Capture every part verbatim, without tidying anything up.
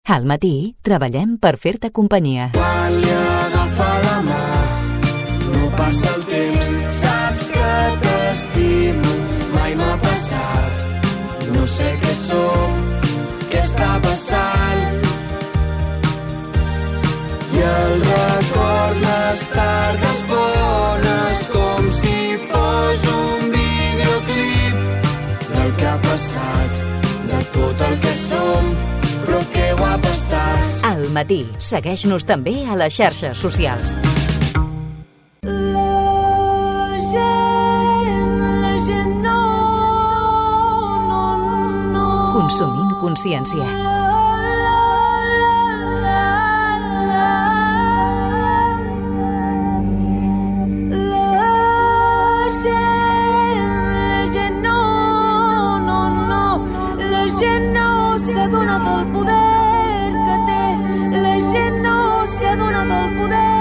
Al matí treballem per fer-te companyia. Quan li agafa la mà, no passa el temps, saps que t'estimo, mai m'ha passat. No sé què som, què està passant. I el record, les tardes bones, com si fos un videoclip del que ha passat, de tot el que som, però que guapa estàs. Al matí, segueix-nos també a les xarxes socials. La gent, la gent no, no, no. Consumint consciència.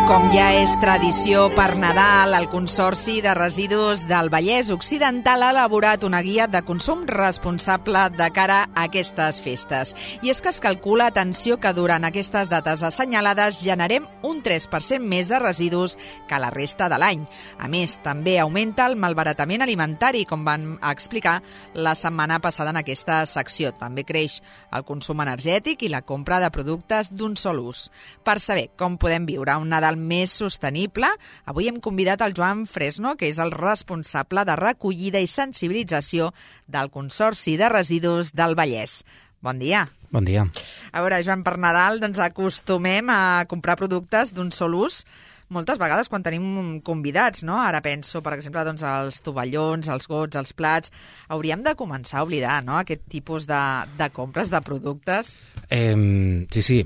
Com ja és tradició per Nadal, el Consorci de Residus del Vallès Occidental ha elaborat una guia de consum responsable de cara a aquestes festes. I és que es calcula, atenció, que durant aquestes dates assenyalades generem un tres per cent més de residus que la resta de l'any. A més, també augmenta el malbaratament alimentari, com van explicar la setmana passada en aquesta secció. També creix el consum energètic i la compra de productes d'un sol ús. Per saber com podem viure un Nadal més sostenible, avui hem convidat el Joan Fresno, que és el responsable de recollida i sensibilització del Consorci de Residus del Vallès. Bon dia. Bon dia. A veure, Joan, per Nadal doncs, acostumem a comprar productes d'un sol ús moltes vegades quan tenim convidats, no? Ara penso, per exemple, doncs, els tovallons, els gots, els plats. Hauríem de començar a oblidar, no?, aquest tipus de, de compres de productes. Eh, sí, sí.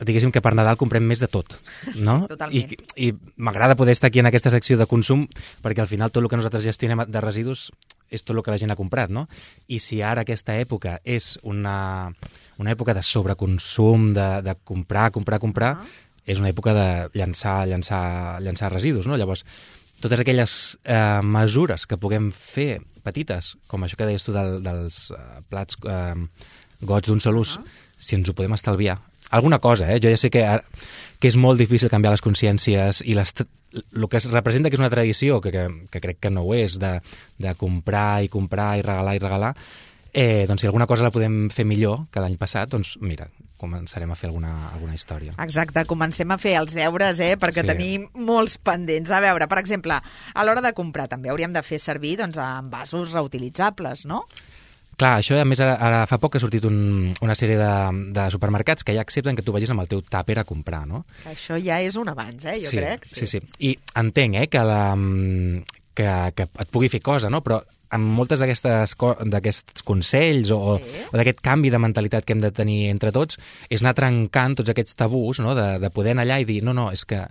Diguéssim que per Nadal comprem més de tot, no? Sí, totalment. I, i m'agrada poder estar aquí en aquesta secció de consum perquè al final tot el que nosaltres gestionem de residus és tot el que la gent ha comprat, no? I si ara aquesta època és una, una època de sobreconsum, de, de comprar, comprar, comprar, ah. és una època de llançar, llançar, llançar residus, no? Llavors, totes aquelles eh, mesures que puguem fer petites, com això que deies tu del, dels eh, plats eh, gots d'un sol ús, ah. si ens ho podem estalviar, alguna cosa, eh? Jo ja sé que, que és molt difícil canviar les consciències i les, el que es representa que és una tradició, que, que, que crec que no ho és, de, de comprar i comprar i regalar i regalar, eh, doncs si alguna cosa la podem fer millor que l'any passat, doncs mira, començarem a fer alguna, alguna història. Exacte, comencem a fer els deures, eh, perquè sí. tenim molts pendents. A veure, per exemple, a l'hora de comprar també hauríem de fer servir doncs, envasos reutilitzables, no? Clar, això a més ara, ara fa poc que ha sortit un, una sèrie de, de supermercats que ja accepten que tu vagis amb el teu tàper a comprar, no? Això ja és un avanç, eh, jo sí, crec. Sí, sí, sí. I entenc eh, que, la, que, que et pugui fer cosa, no? Però amb moltes d'aquests consells o, sí. o d'aquest canvi de mentalitat que hem de tenir entre tots és anar trencant tots aquests tabús, no? de, de poder anar allà i dir no, no, és que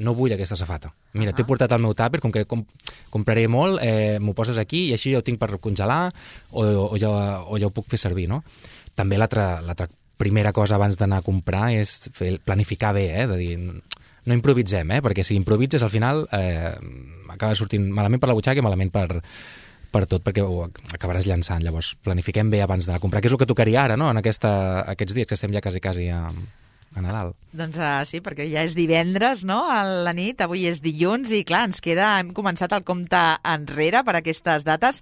no vull aquesta safata. Mira, uh -huh. t'he portat el meu tàper, com que com, compraré molt, eh, m'ho poses aquí i així ja ho tinc per congelar o, o, ja, o ja ho puc fer servir, no? També l'altra l'altra primera cosa abans d'anar a comprar és fer, planificar bé, eh? De dir, no improvisem, eh? Perquè si improvises al final eh, acaba sortint malament per la butxaca i malament per, per tot, perquè ho acabaràs llançant. Llavors, planifiquem bé abans d'anar a comprar, que és el que tocaria ara, no?, en aquesta, aquests dies que estem ja quasi, quasi a... a Nadal. Doncs uh, sí, perquè ja és divendres, no?, a la nit, avui és dilluns i clar, ens queda, hem començat el compte enrere per aquestes dates.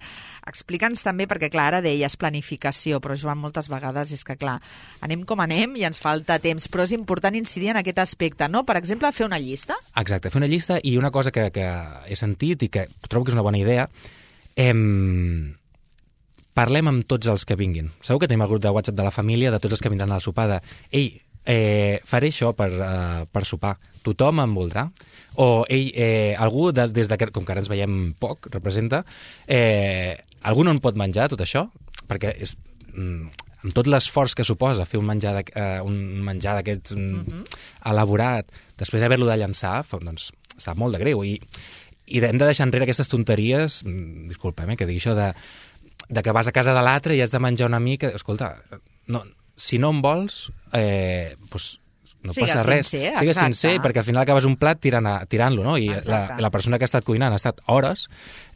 Explica'ns també, perquè clar, ara deies planificació, però Joan, moltes vegades és que clar, anem com anem i ens falta temps, però és important incidir en aquest aspecte, no? Per exemple, fer una llista? Exacte, fer una llista i una cosa que, que he sentit i que trobo que és una bona idea, em... parlem amb tots els que vinguin. Segur que tenim el grup de WhatsApp de la família, de tots els que vindran al sopar, de ei, Eh, faré això per, uh, per sopar. Tothom em voldrà? O ell, eh, algú, de, des de que, com que ara ens veiem poc, representa, eh, algú no en pot menjar tot això? Perquè és, mm, amb tot l'esforç que suposa fer un menjar de, uh, un menjar d'aquests mm, uh-huh. elaborat, després d'haver-lo de llançar, doncs sap molt de greu. I, i hem de deixar enrere aquestes tonteries, mm, disculpem, eh, que digui això, de, de que vas a casa de l'altre i has de menjar una mica. Escolta, no... si no en vols, eh, doncs no Siga passa res. Sincer, Siga exacte. sincer, perquè al final acabes un plat tirant-lo, tirant no? I la, la persona que ha estat cuinant ha estat hores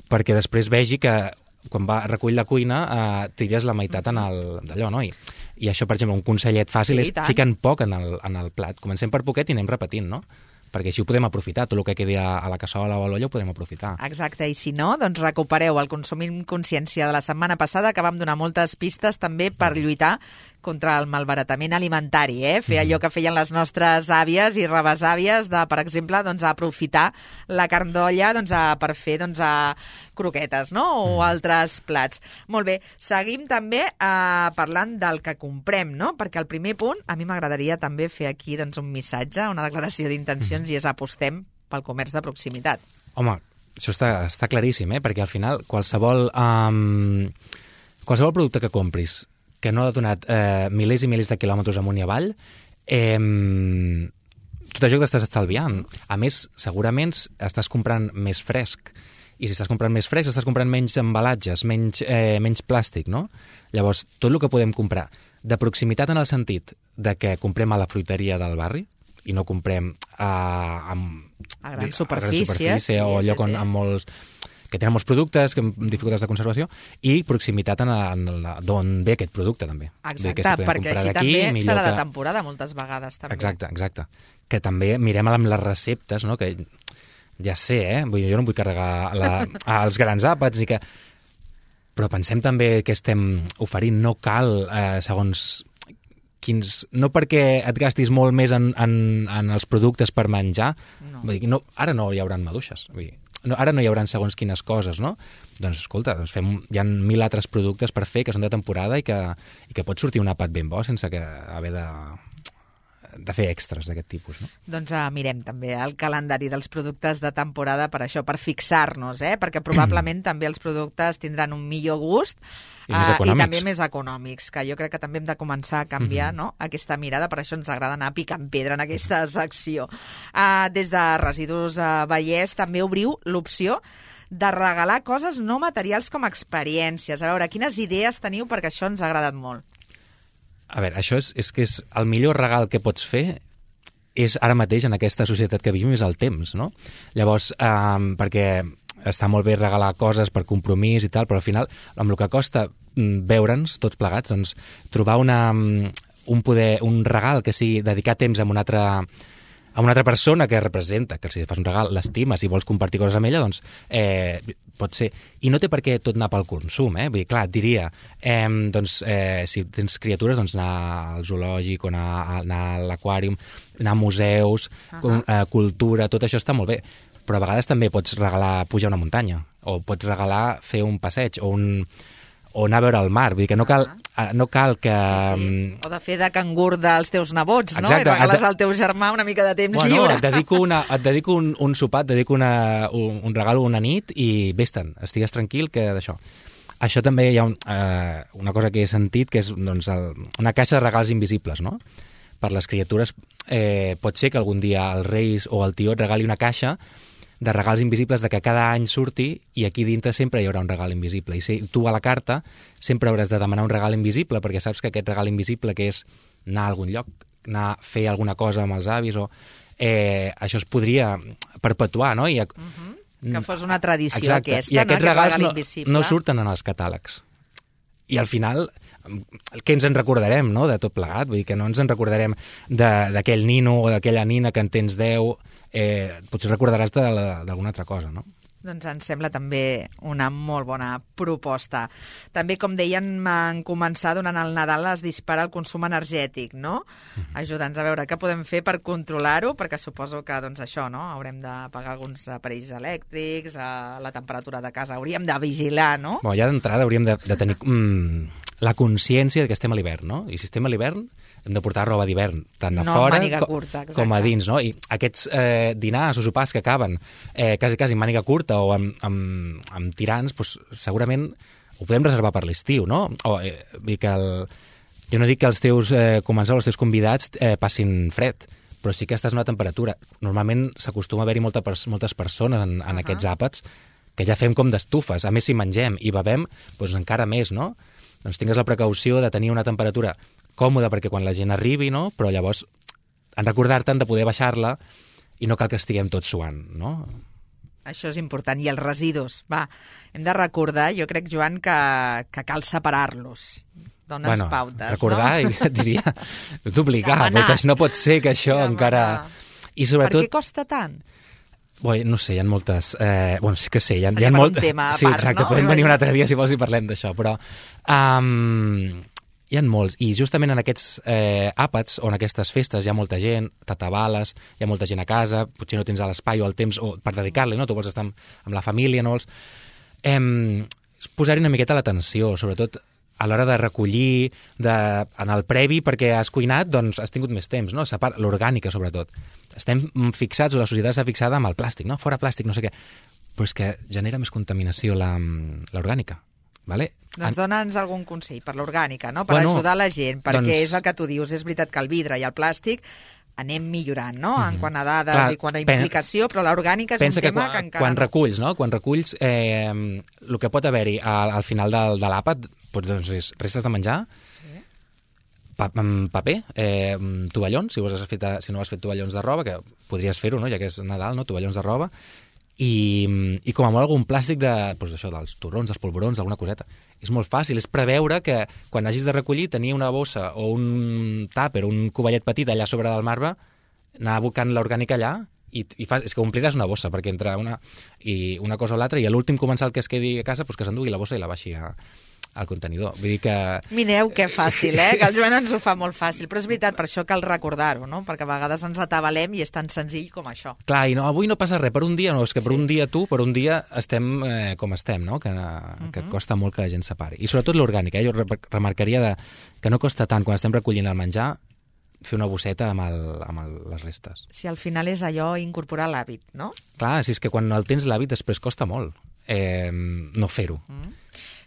perquè després vegi que quan va a recollir la cuina eh, tires la meitat en el d'allò, no? I, I això, per exemple, un consellet fàcil Sí, és tant. fiquen poc en el, en el plat. Comencem per poquet i anem repetint, no? Perquè així ho podem aprofitar. Tot el que quedi a, a la cassola o a l'olla ho podem aprofitar. Exacte, i si no, doncs recupereu el Consumim Consciència de la setmana passada, que vam donar moltes pistes també per lluitar contra el malbaratament alimentari, eh? Fer allò que feien les nostres àvies i rebesàvies de, per exemple, doncs, aprofitar la carn d'olla doncs, a, per fer doncs, a croquetes, no? O mm. altres plats. Molt bé, seguim també eh, parlant del que comprem, no? Perquè el primer punt, a mi m'agradaria també fer aquí doncs, un missatge, una declaració d'intencions, mm. i és apostem pel comerç de proximitat. Home, això està, està claríssim, eh? Perquè al final qualsevol, um, qualsevol producte que compris que no ha donat eh, milers i milers de quilòmetres amunt i avall, eh, tot això que t'estàs estalviant. A més, segurament estàs comprant més fresc. I si estàs comprant més fresc, estàs comprant menys embalatges, menys, eh, menys plàstic, no? Llavors, tot el que podem comprar de proximitat en el sentit de que comprem a la fruiteria del barri i no comprem a, a, a grans a superfícies, gran superfície sí, o sí, lloc on, sí. amb molts que tenen molts productes, amb dificultats de conservació, i proximitat en, en d'on ve aquest producte, també. Exacte, que si perquè així també serà de temporada moltes vegades. També. Exacte, exacte. Que també mirem amb les receptes, no? Que ja sé, eh? Vull dir, jo no em vull carregar la, els grans àpats, ni que... però pensem també que estem oferint. No cal, eh, segons quins... No perquè et gastis molt més en, en, en els productes per menjar, no. Vull dir, no, ara no hi haurà maduixes, vull dir, no, ara no hi haurà segons quines coses, no? Doncs escolta, doncs fem, hi ha mil altres productes per fer que són de temporada i que, i que pot sortir un àpat ben bo sense que haver de, de fer extras d'aquest tipus, no? Doncs uh, mirem també el calendari dels productes de temporada per això, per fixar-nos, eh? Perquè probablement també els productes tindran un millor gust I, més uh, i econòmics. també més econòmics, que jo crec que també hem de començar a canviar, mm-hmm. no? aquesta mirada, per això ens agrada anar picant pedra en aquesta secció. Uh, des de Residus uh, Vallès també obriu l'opció de regalar coses no materials com experiències. A veure, quines idees teniu, perquè això ens ha agradat molt. A veure, això és, és que és el millor regal que pots fer és ara mateix en aquesta societat que vivim és el temps, no? Llavors, eh, perquè està molt bé regalar coses per compromís i tal, però al final, amb el que costa veure'ns tots plegats, doncs trobar una, un, poder, un regal que sigui dedicar temps a una altra a una altra persona que representa, que si fas un regal, l'estimes i vols compartir coses amb ella, doncs eh, pot ser. I no té per què tot anar pel consum, eh? Vull dir, clar, et diria, eh, doncs, eh, si tens criatures, doncs anar al zoològic o anar, anar a l'aquàrium, anar a museus, uh-huh. eh, cultura, tot això està molt bé. Però a vegades també pots regalar pujar una muntanya, o pots regalar fer un passeig, o un... o anar a veure el mar, vull dir que no cal, uh-huh. no cal que... Sí, sí. O de fer de cangur dels teus nebots, no? Exacte. I regales al teu germà una mica de temps bueno, lliure. Et dedico, una, et dedico un, un sopar, et dedico una, un, un regal una nit i vés-te'n, estigues tranquil que d'això. Això també hi ha un, eh, una cosa que he sentit, que és doncs, el, una caixa de regals invisibles, no? Per les criatures eh, pot ser que algun dia els Reis o el Tió et regali una caixa de regals invisibles de que cada any surti i aquí dintre sempre hi haurà un regal invisible. I si tu a la carta sempre hauràs de demanar un regal invisible perquè saps que aquest regal invisible que és anar a algun lloc, anar a fer alguna cosa amb els avis o... Eh, això es podria perpetuar, no? I, uh-huh. Que fos una tradició exacte. aquesta, I aquests no? regals Aquest no, invisible. no surten en els catàlegs. I al final, què ens en recordarem, no?, de tot plegat? Vull dir que no ens en recordarem d'aquell nino o d'aquella nina que en tens deu, eh, potser recordaràs d'alguna altra cosa, no? Doncs ens sembla també una molt bona proposta. També, com deien, en començar donant el Nadal es dispara el consum energètic, no? Uh-huh. Ajuda'ns a veure què podem fer per controlar-ho, perquè suposo que, doncs, això, no? Haurem de pagar alguns aparells elèctrics, a la temperatura de casa hauríem de vigilar, no? Bon, ja d'entrada hauríem de, de tenir mm, la consciència que estem a l'hivern, no? I si estem a l'hivern hem de portar roba d'hivern, tant a no, fora curta, com a dins, no? I aquests eh, dinars o sopars que acaben eh, quasi, quasi amb màniga curta o amb, amb, amb tirants, doncs, segurament ho podem reservar per l'estiu, no? O, eh, que el... Jo no dic que els teus eh, comensals, els teus convidats eh, passin fred, però sí que estàs a una temperatura. Normalment s'acostuma a haver-hi molta, moltes persones en, en uh-huh. aquests àpats que ja fem com d'estufes. A més, si mengem i bevem, doncs encara més, no? Doncs tingues la precaució de tenir una temperatura còmoda perquè quan la gent arribi, no? Però llavors en recordar-te'n de poder baixar-la i no cal que estiguem tots suant, no? Això és important. I els residus, va, hem de recordar, jo crec, Joan, que, que cal separar-los. dones bueno, pautes, recordar, no? i et diria, és d'obligar, Demanar. perquè no pot ser que això Demanar. encara... I sobretot... Per què costa tant? Bé, no sé, hi ha moltes... Eh, bueno, sí que sé, hi ha, Seria hi ha per molt... un tema a sí, part, exacte, no? podem venir un altre dia si vols i parlem d'això, però... Um, hi ha molts, i justament en aquests eh, àpats o en aquestes festes hi ha molta gent, t'atabales, hi ha molta gent a casa, potser no tens l'espai o el temps o per dedicar-li, no? Tu vols estar amb, amb la família, no vols... Eh, posar-hi una miqueta l'atenció, sobretot a l'hora de recollir, de, en el previ, perquè has cuinat, doncs has tingut més temps, no? Separa, l'orgànica, sobretot. Estem fixats, o la societat està fixada amb el plàstic, no? Fora plàstic, no sé què. Però és que genera més contaminació la- l'orgànica, vale? Doncs dona'ns algun consell per l'orgànica, no? Per Bueno, ajudar la gent, perquè doncs- és el que tu dius, és veritat que el vidre i el plàstic anem millorant, no? En quant a dades Clar, i quant a pen- implicació, però l'orgànica és Pensa un que tema quan, que encara quan no. reculls, no? Quan reculls, eh, el que pot haver-hi al, al final del, de l'àpat, doncs és restes de menjar, pa, mm, paper, eh, mm, tovallons, si, vos has fet, si no has fet tovallons de roba, que podries fer-ho, no? Ja que és Nadal, no? Tovallons de roba, i, i com a molt algun plàstic de, doncs això, dels torrons, dels polvorons, alguna coseta. És molt fàcil, és preveure que quan hagis de recollir tenir una bossa o un tàper, un covellet petit allà sobre del marbre, anar abocant l'orgànica allà i, i fas, és que ompliràs una bossa, perquè entre una, i una cosa o l'altra, i a l'últim comensal que es quedi a casa, doncs que s'endugui la bossa i la baixi a, al contenidor. Vull dir que... Mireu que fàcil, eh? Que el Joan ens ho fa molt fàcil. Però és veritat, per això cal recordar-ho, no? Perquè a vegades ens atabalem i és tan senzill com això. Clar, i no, avui no passa res, per un dia no, és que per sí. un dia tu, per un dia estem eh, com estem, no? Que, que uh -huh. costa molt que la gent separi. I sobretot l'orgànica, eh? Jo re remarcaria de, que no costa tant quan estem recollint el menjar fer una bosseta amb, el, amb el, les restes. Si al final és allò incorporar l'hàbit, no? Clar, si és que quan el tens l'hàbit després costa molt eh, no fer-ho. Mm.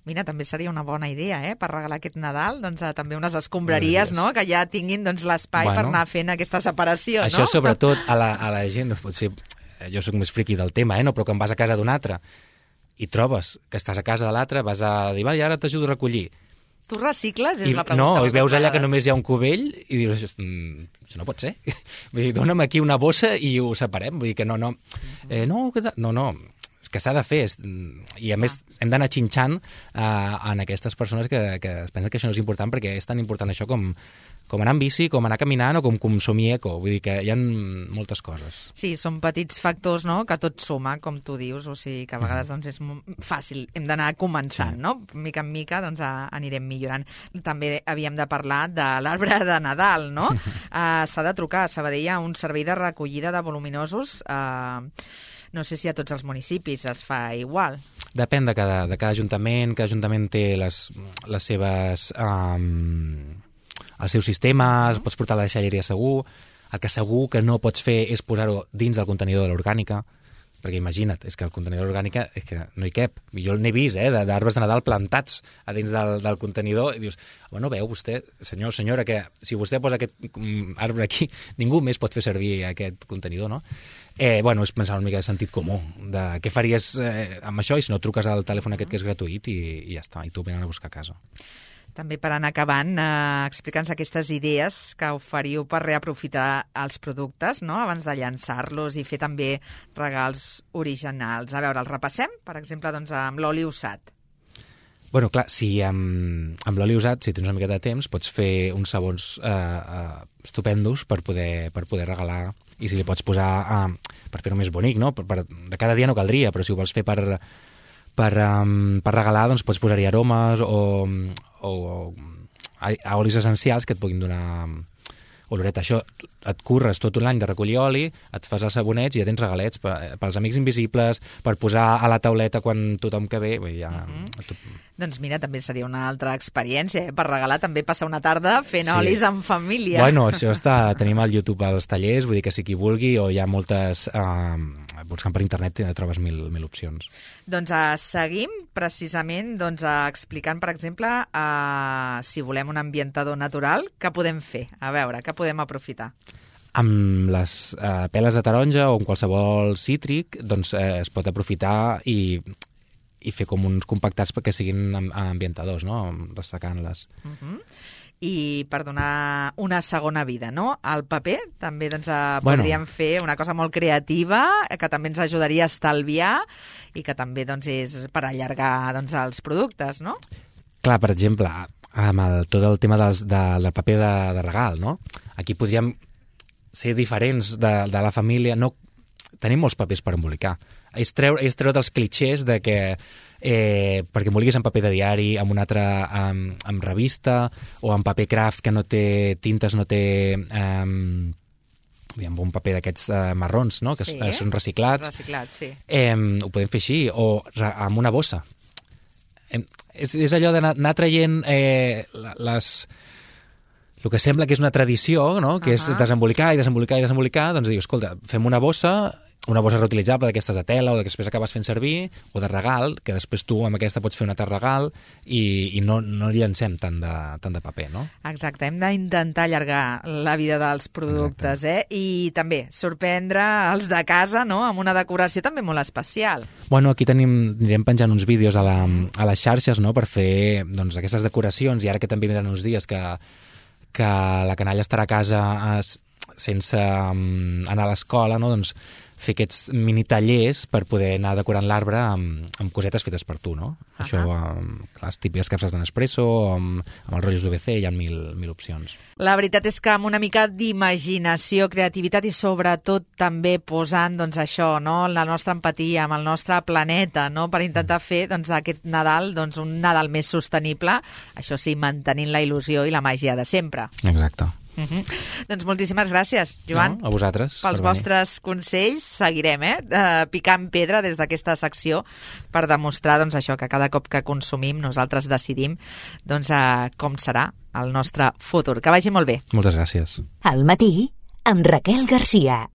Mira, també seria una bona idea, eh?, per regalar aquest Nadal, doncs, eh, també unes escombraries, no?, que ja tinguin doncs, l'espai bueno, per anar fent aquesta separació, això, no? Això, sobretot, a la, a la gent, potser jo sóc més friqui del tema, eh, no? Però quan vas a casa d'un altre i trobes que estàs a casa de l'altre, vas a dir, va, i ara t'ajudo a recollir. Tu recicles? És I, la pregunta. no, i veus allà vegades. que només hi ha un cubell i dius, mm, això no pot ser. Vull dir, dona'm aquí una bossa i ho separem. Vull dir que no, no, eh, no, no, no, és que s'ha de fer. És, i a més hem d'anar xinxant eh, en aquestes persones que, que es pensen que això no és important, perquè és tan important això com, com anar amb bici, com anar caminant o com consumir eco. Vull dir que hi ha moltes coses. Sí, són petits factors, no?, que tot suma, com tu dius, o sigui que a vegades doncs, és fàcil, hem d'anar començant, no? Mica en mica doncs, anirem millorant. També havíem de parlar de l'arbre de Nadal, no? Uh, s'ha de trucar a Sabadell a un servei de recollida de voluminosos. Uh, no sé si a tots els municipis es fa igual. Depèn de cada, de cada ajuntament, cada ajuntament té les, les seves... Um, el seu sistema, uh -huh. pots portar la deixalleria segur. El que segur que no pots fer és posar-ho dins del contenidor de l'orgànica, perquè imagina't, és que el contenidor orgànica és que no hi cap. Jo n'he vist, eh, d'arbres de Nadal plantats a dins del, del contenidor, i dius, bueno, veu vostè, senyor, senyora, que si vostè posa aquest arbre aquí, ningú més pot fer servir aquest contenidor, no? Eh, bueno, és pensar una mica de sentit comú, de què faries eh, amb això, i si no truques al telèfon aquest que és gratuït i, i ja està, i tu venen a buscar a casa. També per anar acabant, eh, explica'ns aquestes idees que oferiu per reaprofitar els productes, no?, abans de llançar-los i fer també regals originals. A veure, els repassem? Per exemple, doncs, amb l'oli usat. Bueno, clar, si amb, amb l'oli usat, si tens una mica de temps, pots fer uns sabons eh, eh, estupendos per poder, per poder regalar, i si li pots posar, eh, per fer-ho més bonic, no? Per, per, de cada dia no caldria, però si ho vols fer per... Per, um, per regalar, doncs pots posar-hi aromes o, o, o a olis essencials que et puguin donar oloreta. Això et curres tot un any de recollir oli, et fas els sabonets i ja tens regalets per, pels amics invisibles, per posar a la tauleta quan tothom que ve. Ja, uh -huh. tot... Doncs mira, també seria una altra experiència, eh? Per regalar també passar una tarda fent sí. olis en família. Bueno, això està... Tenim al YouTube els tallers, vull dir que si qui vulgui, o hi ha moltes... Eh, buscant per internet trobes mil, mil opcions. Doncs uh, seguim precisament doncs, uh, explicant, per exemple, uh, si volem un ambientador natural, què podem fer? A veure, què podem aprofitar? Amb les eh, peles de taronja o amb qualsevol cítric, doncs eh, es pot aprofitar i, i fer com uns compactats perquè siguin ambientadors, no?, ressecant-les. Uh -huh. I per donar una segona vida, no?, al paper també doncs, eh, podríem bueno. fer una cosa molt creativa que també ens ajudaria a estalviar i que també doncs, és per allargar doncs, els productes, no? Clar, per exemple, amb el, tot el tema dels, de, del paper de, de regal, no? Aquí podríem ser diferents de, de la família. No, tenim molts papers per embolicar. És treure, és treure dels clitxers de que eh, perquè emboliquis en paper de diari, amb un altre amb, amb revista, o amb paper craft que no té tintes, no té... Eh, amb un paper d'aquests uh, marrons, no? Que sí, eh? són reciclats. Reciclats, sí. Eh, ho podem fer així, o re, amb una bossa. Eh, és, és allò d'anar traient eh, les... el que sembla que és una tradició, no? Que uh -huh. és desembolicar i desembolicar i desembolicar, doncs dius, escolta, fem una bossa, una bossa reutilitzable d'aquestes de tela o que després acabes fent servir, o de regal, que després tu amb aquesta pots fer un altre regal i, i no, no llancem tant de, tant de paper, no? Exacte, hem d'intentar allargar la vida dels productes, Exacte. eh? I també sorprendre els de casa, no?, amb una decoració també molt especial. Bueno, aquí tenim, anirem penjant uns vídeos a, la, a les xarxes, no?, per fer doncs, aquestes decoracions, i ara que també vindran uns dies que, que la canalla estarà a casa sense um, anar a l'escola, no?, doncs fer aquests mini tallers per poder anar decorant l'arbre amb, amb cosetes fetes per tu, no? Uh -huh. Això, amb les típiques capses de Nespresso, amb, amb els rotllos d'U V C, hi ha mil, mil opcions. La veritat és que amb una mica d'imaginació, creativitat i sobretot també posant, doncs això, no?, la nostra empatia amb el nostre planeta, no?, per intentar fer, doncs, aquest Nadal, doncs, un Nadal més sostenible, això sí, mantenint la il·lusió i la màgia de sempre. Exacte. Uh-huh. Doncs moltíssimes gràcies, Joan. No, a vosaltres. Pels per vostres consells. Seguirem, eh, uh, picant pedra des d'aquesta secció per demostrar, doncs, això, que cada cop que consumim nosaltres decidim, doncs, uh, com serà el nostre futur. Que vagi molt bé. Moltes gràcies. Al matí, amb Raquel Garcia.